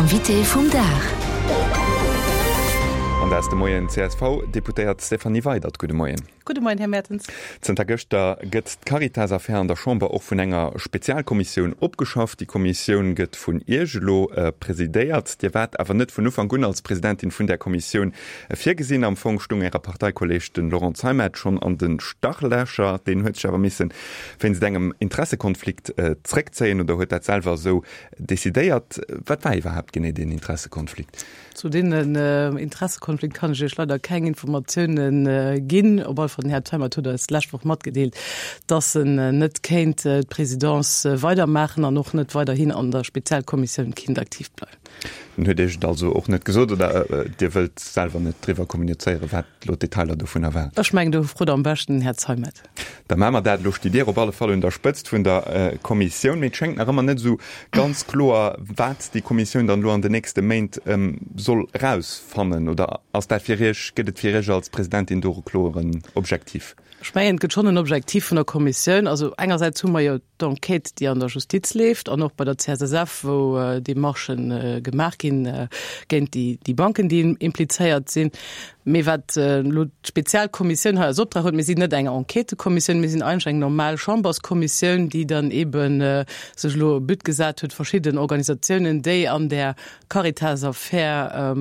Invité vum Dag. An dat ass de Moien d'CSV-Deputéiert Stéphanie Weydert. Gudde Moien. Gudde Moien, Här Mertens. Zënter gëschter gëtt d'Caritas-Affär an der Chamber och vun enger Spezialkommissioun opgeschafft. Déi Kommissioun gëtt vun Iech elo presidéiert. Dir waart awer net vun Ufank un als Presidentin vun där Kommissioun virgesinn. Am Fong stung Äre Parteikolleeg, de Laurent Zeimet, schonn an de Startlächer. Deen huet sech awer misse wéinst engem Interessekonflikt zréckzéien oder huet dat selwer esou decidéiert. Wat war iwwerhaapt genee deen Interessekonflikt? Zu deenen Interessekonflikt kann ech Iech leider keng Informatiounen ginn. Op alle Fall, den Här Zeimet huet eis d'lescht Woch matgedeelt, dass en net kéint d'Presidence weidermaachen an och net weiderhin an der Spezialkommissioun kinnt aktiv bleiwen. En huet Iech et also och net gesot oder Dir wëllt selwer net driwwer kommunizéieren, wat elo d'Detailer dovunner waren? Ech mengen, do frot am beschten den Här Zeimet. Da maache mer dat. Elo stitt Dir op alle Fall un der Spëtzt vun der Kommissioun. Mee et schéngt nach ëmmer net esou ganz kloer, wat déi Kommissioun dann elo an den nächste Méint soll erausfannen. Oder ass dat fir Iech, gëtt et fir Iech als Presidentin do e kloeren Objektiv? Ech mengen, et gëtt schonn en Objektiv vun der Kommissioun. Also engersäits hu mer jo d'Enquête, déi an der Justiz leeft an och bei der CSSF, wou Demarchë gemaach ginn géint déi Banken, déi implizéiert sinn. Mee wat elo d'Spezialkommissioun hei als Optrag huet, mir sinn net eng Enquêtekommissioun, mir sinn eigentlech eng normal Chamberskommissioun, déi dann eebe sech elo e But gesat huet, verschidden Organisatiounen, déi an där Caritas-Affär,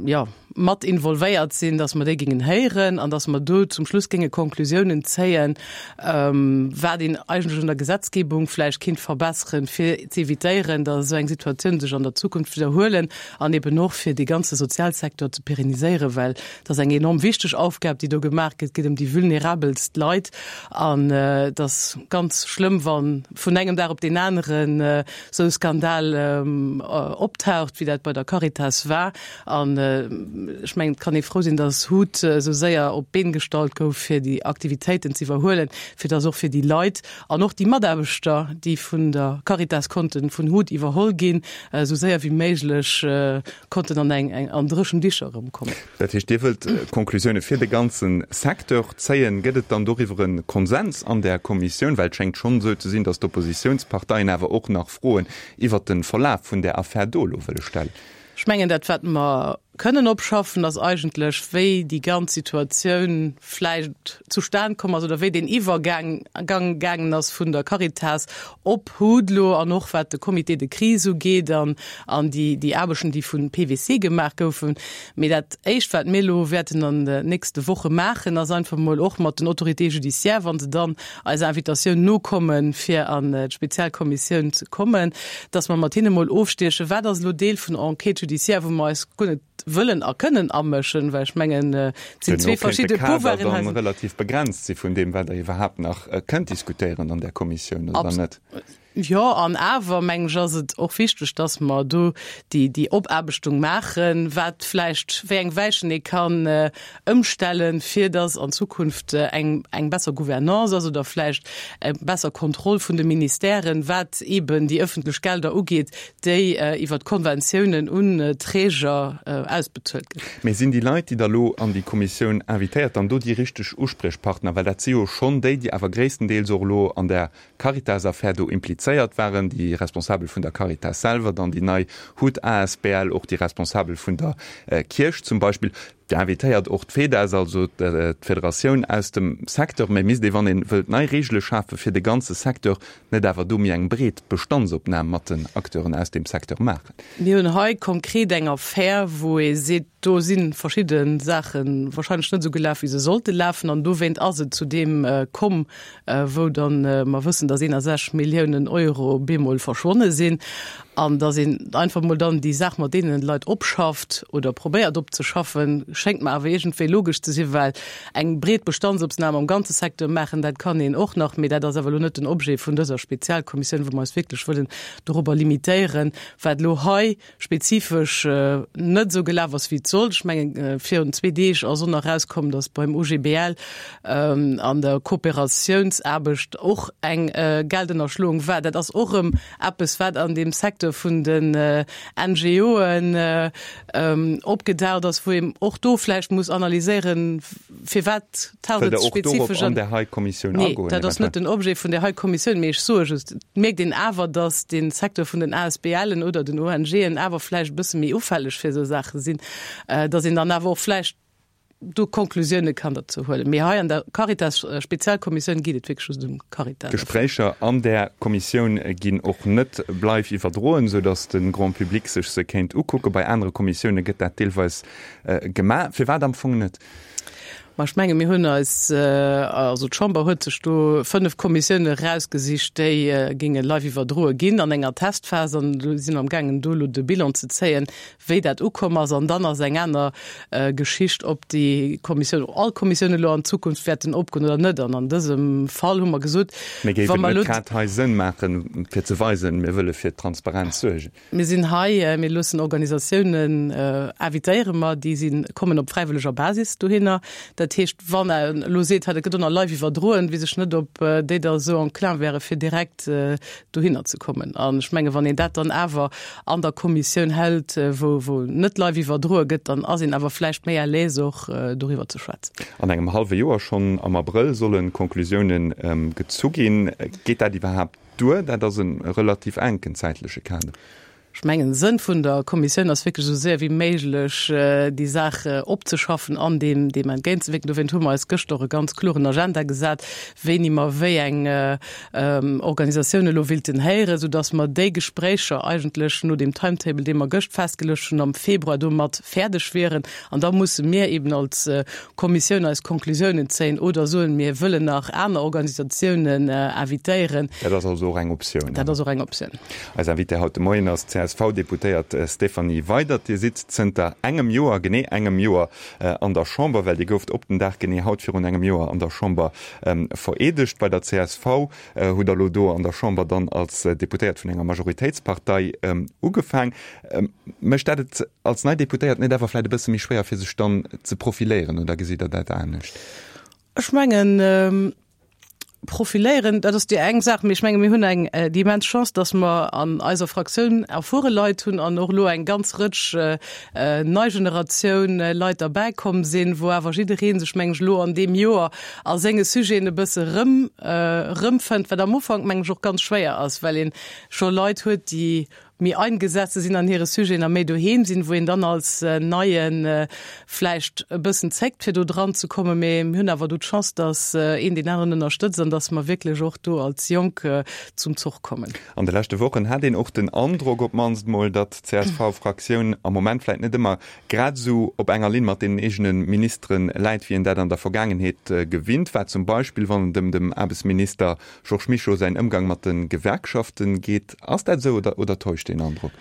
jo, mat involvéiert sinn, dass mer déi géingen héieren an dass mer do zum Schluss géinge Konklusiounen zéien, wat een eigentlech un der Gesetzgebung vläicht kinnt verbesseren, fir ze évitéieren, dass esou eng Situatioun sech an der Zukunft widderhuelen an eben och fir dee ganze Sozialsektor ze pérenniséieren, well et ass eng enorm wichteg Aufgab, déi do gemaach gëtt. Et geet ëm déi vulnerabelst Leit an et ass ganz schlëmm, wa vun engem Dag op deen aneren esou e Skandal optaucht, wéi dat bei der Caritas war. An ech mengen, et kann ee frou sinn, datt hut esou séier op d'Been gestallt gouf, fir déi Aktivitéiten ze iwwerhuelen, fir datt och fir déi Leit an och déi Mataarbechter, déi vun der Caritas konnten vun hut iwwerholl ginn, esou séier wéi méiglech konnten an eng an dréchen Dicher erëmkommen. Dat heescht, Dir wëllt Konklusioune fir de ganze Secteur zéien. Gëtt et dann doriwwer e Konsens an där Kommissioun? Well et schéngt schonn esou ze sinn, datt d'Oppositiounsparteien awer och nach Froen iwwert de Verlaf vun där Affär do elo wëlle stellen. Ech mengen, dat wat mer kënnen opschaffen, ass eigentlech, wéi déi ganz Situatioun vläicht zustan komm ass oder wéi deen Iwwergang gaangen ass vun der Caritas op HUD elo an och wat de Comité de crise ugeet an an déi déi Aarbechten, déi vu PwC gemaach goufen. Mee dat Éischt, wat mir elo wäerten an den nächste Woche maachen, ass einfach emol och mat den Autorités judiciaires, wa se dann eiser Invitatioun nokommen, fir an d'Spezialkommissioun ze kommen, dass mer mat hinne mol ofstiechen, wat ass elo Deel vun der Enquête judiciaire, wou mer eis guer net wëllen a kënnen amëschen, well ech mengen, et sinn zwee verschidde Pouvoiren hei. Relativ begrenzt si vun deem, wat Der iwwerhaapt nach kënnt diskutéieren an där Kommissioun, oder net? Jo, an awer, mengen ech, ass et och wichteg, dass mer do déi, déi Opaarbechtung maachen, wat vläicht, wéi eng Weichen ee kann ëmstellen, fir dass an Zukunft eng, eng besser Gouvernance ass oder vläicht eng besser Kontroll vun de Ministèren, wat eeben déi ëffentlech Gelder ugeet, déi iwwert Konventiounen un Träger ausbezuelt ginn. Mee sinn déi Leit, déi Der elo an déi Kommissioun invitéiert, dann do déi richteg Uspriechpartner? Well dat si jo schonn déi, déi awer gréisstendeels och elo an där Caritas-Affär do implizéiert waren, déi Responsabel vun der Caritas selwer, dann déi nei hut asbl, och déi Responsabel vun der Kierch zum Beispill. Dir invitéiert och d'FEDAS, also d'Federatioun aus dem Secteur. Mä misst ee, wann ee wëllt nei Reegele schafe fir de ganze Secteur, net awer do méi eng breet Bestandsopnam mat den Acteuren aus deem Secteur maachen? Mir hunn hei konkret eng Affär, wou ee seet, do si verschidde Saache wahrscheinlech net esou gelaf, wéi se sollte lafen, an dowéint ass et zu deem komm, wou dann mer wëssen, dass 61 Milliounen Euro bemol verschwonne sinn an dass een einfach mol dann déi Saach mat deenen Leit opschafft oder probéiert opzeschaffen, schéngt mer awer iergendwéi logesch ze sinn, well eng breet Bestandsopnam am ganze Secteur maachen, dat kann een och nach, mee dat ass awer elo net den Objet vun dëser Spezialkommissioun, wou mer eis wierklech wëllen dorobber limitéieren, wat elo hei spezifesch net esou gelaf ass, wéi et sollt. Ech mengen, virun zwee Deeg ass och nach erauskomm, datt beim OGBL an der Kooperatiounsaarbecht och eng Geldënnerschloung war. Dat ass och erëm eppes, wat an deem Secteur vun den NGOen opgedaucht ass, wou een och do. do vläicht muss analyséieren, firwat taucht et spezifesch an där hei Kommissioun agoen? Nee, dat ass net den Objet vun där hei Kommissioun, mee ech soe just, et mierkt een awer, datt de Secteur vun den ASBLen oder den ONGen awer vläicht e bësse méi ufälleg fir esou Saache sinn, datt een dann awer och vläicht do Konklusioune kann derzou huelen. Mee hei an der Caritas-Spezialkommissioun geet et wierklech just ëm Caritas. D'Gespréicher an där Kommissioun ginn och net live iwwerdroen, sou datt de Grand public sech se kéint ukucken. Bei anere Kommissioune gëtt dat deelweis gemaach. Firwat am Fong net? Ma ech menge mir hunn eis, also d'Chamber huet sech do 5 Kommissioune erausgesicht, déi géinge live iwwerdroe ginn an enger Testphas. An do si mer amgaangen do elo de Bilan ze zéien, wéi dat ukomm ass. An dann ass eng aner Geschicht, ob déi Kommissioun, all Kommissioune elo an Zukunft wäerten opgoen oder net. An an dësem Fall hu mer gesot, Mee géif et net grad hei Sënn maachen, fir ze weisen, mir wëlle fir Transparenz suergen? Mir sinn hei, mir loossen Organisatiounen, invitéiere mer, déi si kommen op fräiwëlleger Basis dohinner. Dat heescht, wann en elo seet, hei dat gëtt och nach live iwwerdroen, weess ech net, ob déi da esou enclin wäre fir direkt dohinner ze kommen. An ech menge wann een dat dann awer an der Kommissioun hält, wou wou net live iwwerdroe gëtt, dann ass een awer vläicht méi à l'aise och doriwwer ze schwätzen. An engem hallwe Joer, schonn am Abrëll, solle Conclusiounen gezu ginn. Geet dat iwwerhaapt Duer, dat ass e relativ enken zäitleche Kader. Ech mengen, Sënn vun der Kommissioun ass wierklech esou séier wéi méiglech déi Saach opzeschaffen an deem deem entgéintzewierken. Dowéint hu mer eis gëschter och e ganz kloren Agenda gesat, wéini mer wéi eng Organisatioun elo willten héieren, soudass mer déi Gespréicher eigentlech no deem Timetable, dee mer gëscht festgeluecht hunn, am Februar domat fäerdeg wieren. An da musse mir eben als Kommissioun eis Konklusiounen zéien oder soen, mir wëllen nach aner Organisatiounen invitéieren. Dat ass also och eng Optioun. Dat ass och eng Optioun. Eis Invitée haut de Moien ass d'CSV-Deputéiert Stéphanie Weydert. Dir sidd zënter engem Joer, genee engem Joer an der Chamber, well Dir gouft op den Dag genee haut virun engem Joer an der Chamber vereedegt bei der csv. Hutt Der elo do an der Chamber dann als Deputéiert vun enger Majoritéitspartei ugefaang. Mécht dat et als nei Deputéiert net awer vläit e bësse méi schwéier, fir sech dann ze profiléieren, oder gesitt Der dat anescht? Ech mengen, profiléieren, dat ass déi eng Saach, mee ech menge mir hunn eng déi immens Chance, datt mer an eiser Fraktioun erfuere Leit hunn an och elo eng ganz Rëtsch nei Generatioun Leit derbäi komm sinn, wou awer jidderee sech, meng ech, elo an deem Joer a senge Sujeten e bësse erëm erëmfënnt, wat am Ufank, meng ech, och ganz schwéier ass, well ee scho Leit huet, déi méi eingesetzt sinn an hire Sujeten a méi doheem sinn, wou een dann als Neie vläicht e bëssen zéckt, fir do dran ze kommen. Mee mir hunn awer do d'Chance, datt een deen aneren ënnerstëtzt an datt mer wierklech och do als Jonk zum Zuch kommen. An de leschte Wochen hat een och den Androck op d'mannst mol, datt d'CSV-Fraktioun am Moment vläicht net ëmmer grad esou op enger Linn mat deenen eegene Ministere läit, wéi een dat an der Vergaangenheet gewinnt war, zum Beispill wann et ëm dem Aarbechtsminister Georges Mischo säin Ëmgang mat de Gewerkschaften geet. Ass dat esou oder, oder täuscht deen Androck?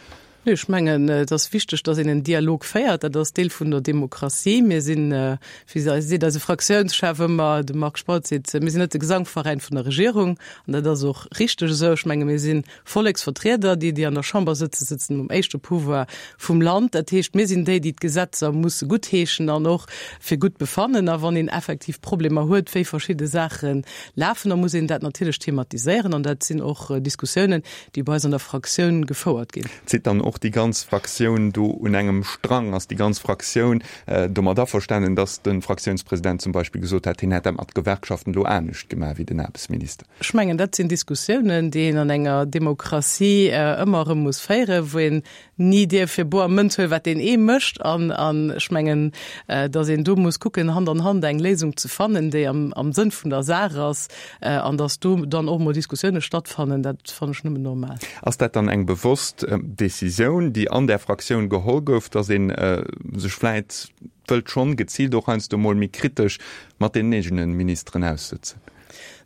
Nee, ech mengen, et ass wichteg, datt een en Dialog féiert. Dat ass Deel vun der Demokratie. Mir sinn, wéi seet eise Fraktiounschef ëmmer, de Marc Spautz seet, mir sinn net de Gesangveräin vun der Regierung. An dat ass och richteg esou. Ech menge mir si Volleksvertrieder. Déi, déi an der Chamber sëtzen, sëtzen um éischte Pouvoir vum Land. Dat heescht, mir sinn déi, déi d'Gesetzer musse guttheeschen an och fir gutt befannen. A wann een effektiv Problemer huet, wéi verschidde Saache lafen, da muss een dat natierlech thematiséieren. An dat sinn och Diskussiounen, déi bei eis an der Fraktioun gefouert ginn. Zitt dann och déi ganz Fraktioun do un engem Strang? Ass déi ganz Fraktioun domat averstanen, datt de Fraktiounspresident zum Beispill gesot hätt, hien hätt dat mat Gewerkschaften elo anescht gemaach wéi den Aarbechtsminister? Ech mengen, dat sinn Diskussiounen, déi een an enger Demokratie ëmmer erëm muss féieren, wou een ni dierf fir boer Mënz huelen, wat deen ee mécht. An ech mengen, datt een do muss kucken, Hand an Hand eng Léisung ze fannen, déi am Sënn vun der Saach ass, an datt do dann och mol Diskussioune stattfannen, dat fannen ech nëmmen normal. Ass dat dann eng bewosst Decisioun, déi an där Fraktioun geholl gouf, datt ee sech vläit wëllt schonn geziilt och heiansdo mol méi kritesch mat deenen eegene Ministeren aussëtzen?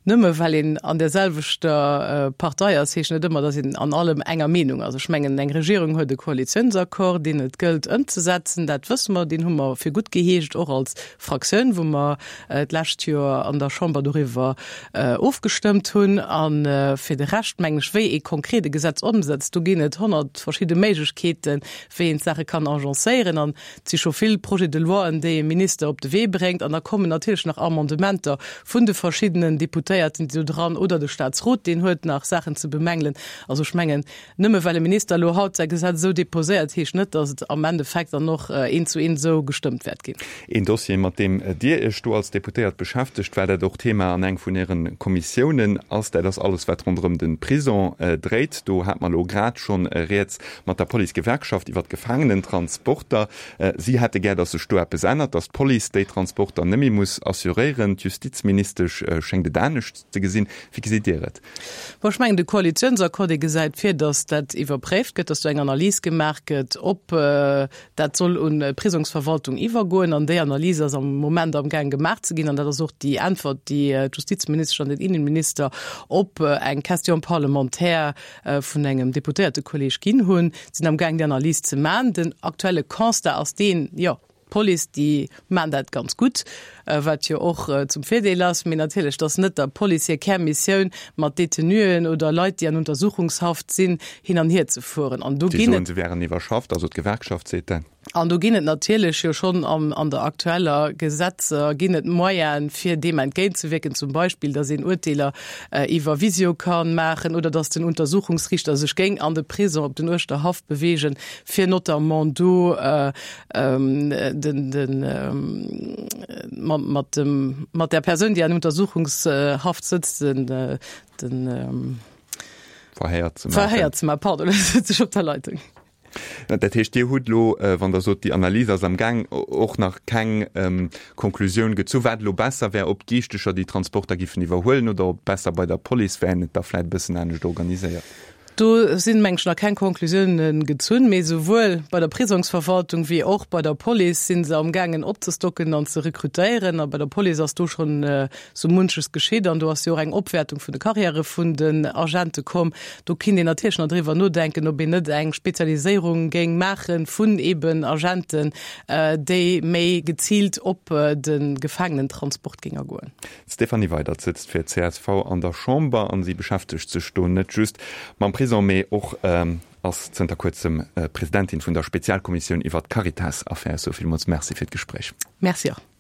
Nëmme well een an där selwechter Partei ass, heescht net ëmmer, datt een an allem enger Meenung ass. Ech mengen, eng Regierung huet e Koalitiounsaccord, deen et gëllt ëmzesetzen. Dat wësse mer, deen hu mer fir gutt geheescht, och als Fraktioun, wou mer d'lescht Joer an der Chamber doriwwer ofgestëmmt hunn. A fir de Rescht, mengen ech, wéi ee konkret e Gesetz ëmsetzt, do ginn et 100 verschidde Méiglechkeeten, wéi een d'Saache kann agencéieren. An Et si scho vill Projets de loien, déi e Minister op de Wee bréngt. An da kommen natierlech nach Amendementer vun de verschiddenen Deputéierten. Deputéierten, déi do dran, oder de Statsrot, deen huet nach Saachen ze bemängelen. Also ech mengen, Nëmme well e Minister elo haut säi Gesetz esou deposéiert, heescht net, datt et am Endeffekt dann och eent zu eent esou gestëmmt wäert ginn. Een Dossier, mat deem Dir Iech do als Deputéiert beschäftegt, well dat och Thema an eng vun Äre Kommissiounen ass, dat ass alles, wat ronderëm de Prison dréit. Do hate mer elo grad schonn rieds mat der Policegewerkschaft iwwer d'Gefaangenentransporter. Si hätte gär, datt sech do eppes ännert, datt d'Police déi Transporter net méi muss assuréieren. D'Justizministesch schéngt et anescht ze gesinn. Wéi gesitt Dir et? Bon, ech mengen, de Koalitionsaccord, dee gesäit vir, datt dat iwwerpréift gëtt, datt do eng Analys gemaach gëtt, ob dat soll un d'Prisongsverwaltung iwwergoen. An déi Analys ass am Moment amgaang gemaach ze ginn. An dat ass och déi Äntwert, déi d'Justizministesch an den Innenminister op eng Question parlementaire vun engem Deputéiertekolleg ginn hunn. Si sinn amgaang, déi Analys ze maachen. Den aktuelle Constat ass deen, jo, D'Police, déi maan dat ganz gutt, wat jo och zum Virdeel ass. Mee natierlech, et ass net der Police hir Kärmissioun, mat Detenuen oder Leit, déi an Untersuchungshaft sinn, hin an hier ze fueren. An do ginn et. Déi soen, se wären iwwerschafft, also d'Gewerkschaft seet dat. An do ginn et natierlech jo schonn an der aktueller Gesetzer ginn et Moyenen, fir deem entgéintzewierken, zum Beispill, datt een Urteeler iwwer Visio ka maachen oder datt den Untersuchungsriichter sech géing an de Prisong op den Uerschterhaff beweegen, fir notamment do den, den, mat, mat dem, mat der Persoun, déi an Untersuchungshaft sëtzt, den, den Verhéier ze maachen. Verhéier ze maachen, pardon, elo sëtz ech op der Leitung. Dat heescht, Dir hutt elo, wann Der sot, déi Analys ass am Gaang, och nach keng Konklusioun gezu, wat elo besser wär, ob d'Giichtecher déi Transporter giffen iwwerhuelen oder ob et besser bei der Police wär, een et da vläicht e bëssen anescht organiséiert? Do sinn, meng ech, nach keng Konklusiounen gezunn, mee souwuel bei der Prisongsverwaltung wéi och bei der Police si se amgaangen opzestocken an ze rekrutéieren. A bei der Police ass do schonn sou munches geschitt an do ass jo och eng Opwäertung vun de Karriäre vun den Agente komm. Do kinnt een natierlech nach driwwer nodenken, ob een net eng Spezialiséierung géing maache vun eeben Agenten, déi méi geziilt op de Gefaangenentransport géing agoen. D'Stéphanie Weydert sëtzt fir csv an der Chamber an si beschäftegt sech do net just mam Prison, mee och ass zënter kuerzem Presidentin vun der Spezialkommissioun iwwert d'Caritas-Affär. Sou villmools Merci fir d'Gespréich. Merci och.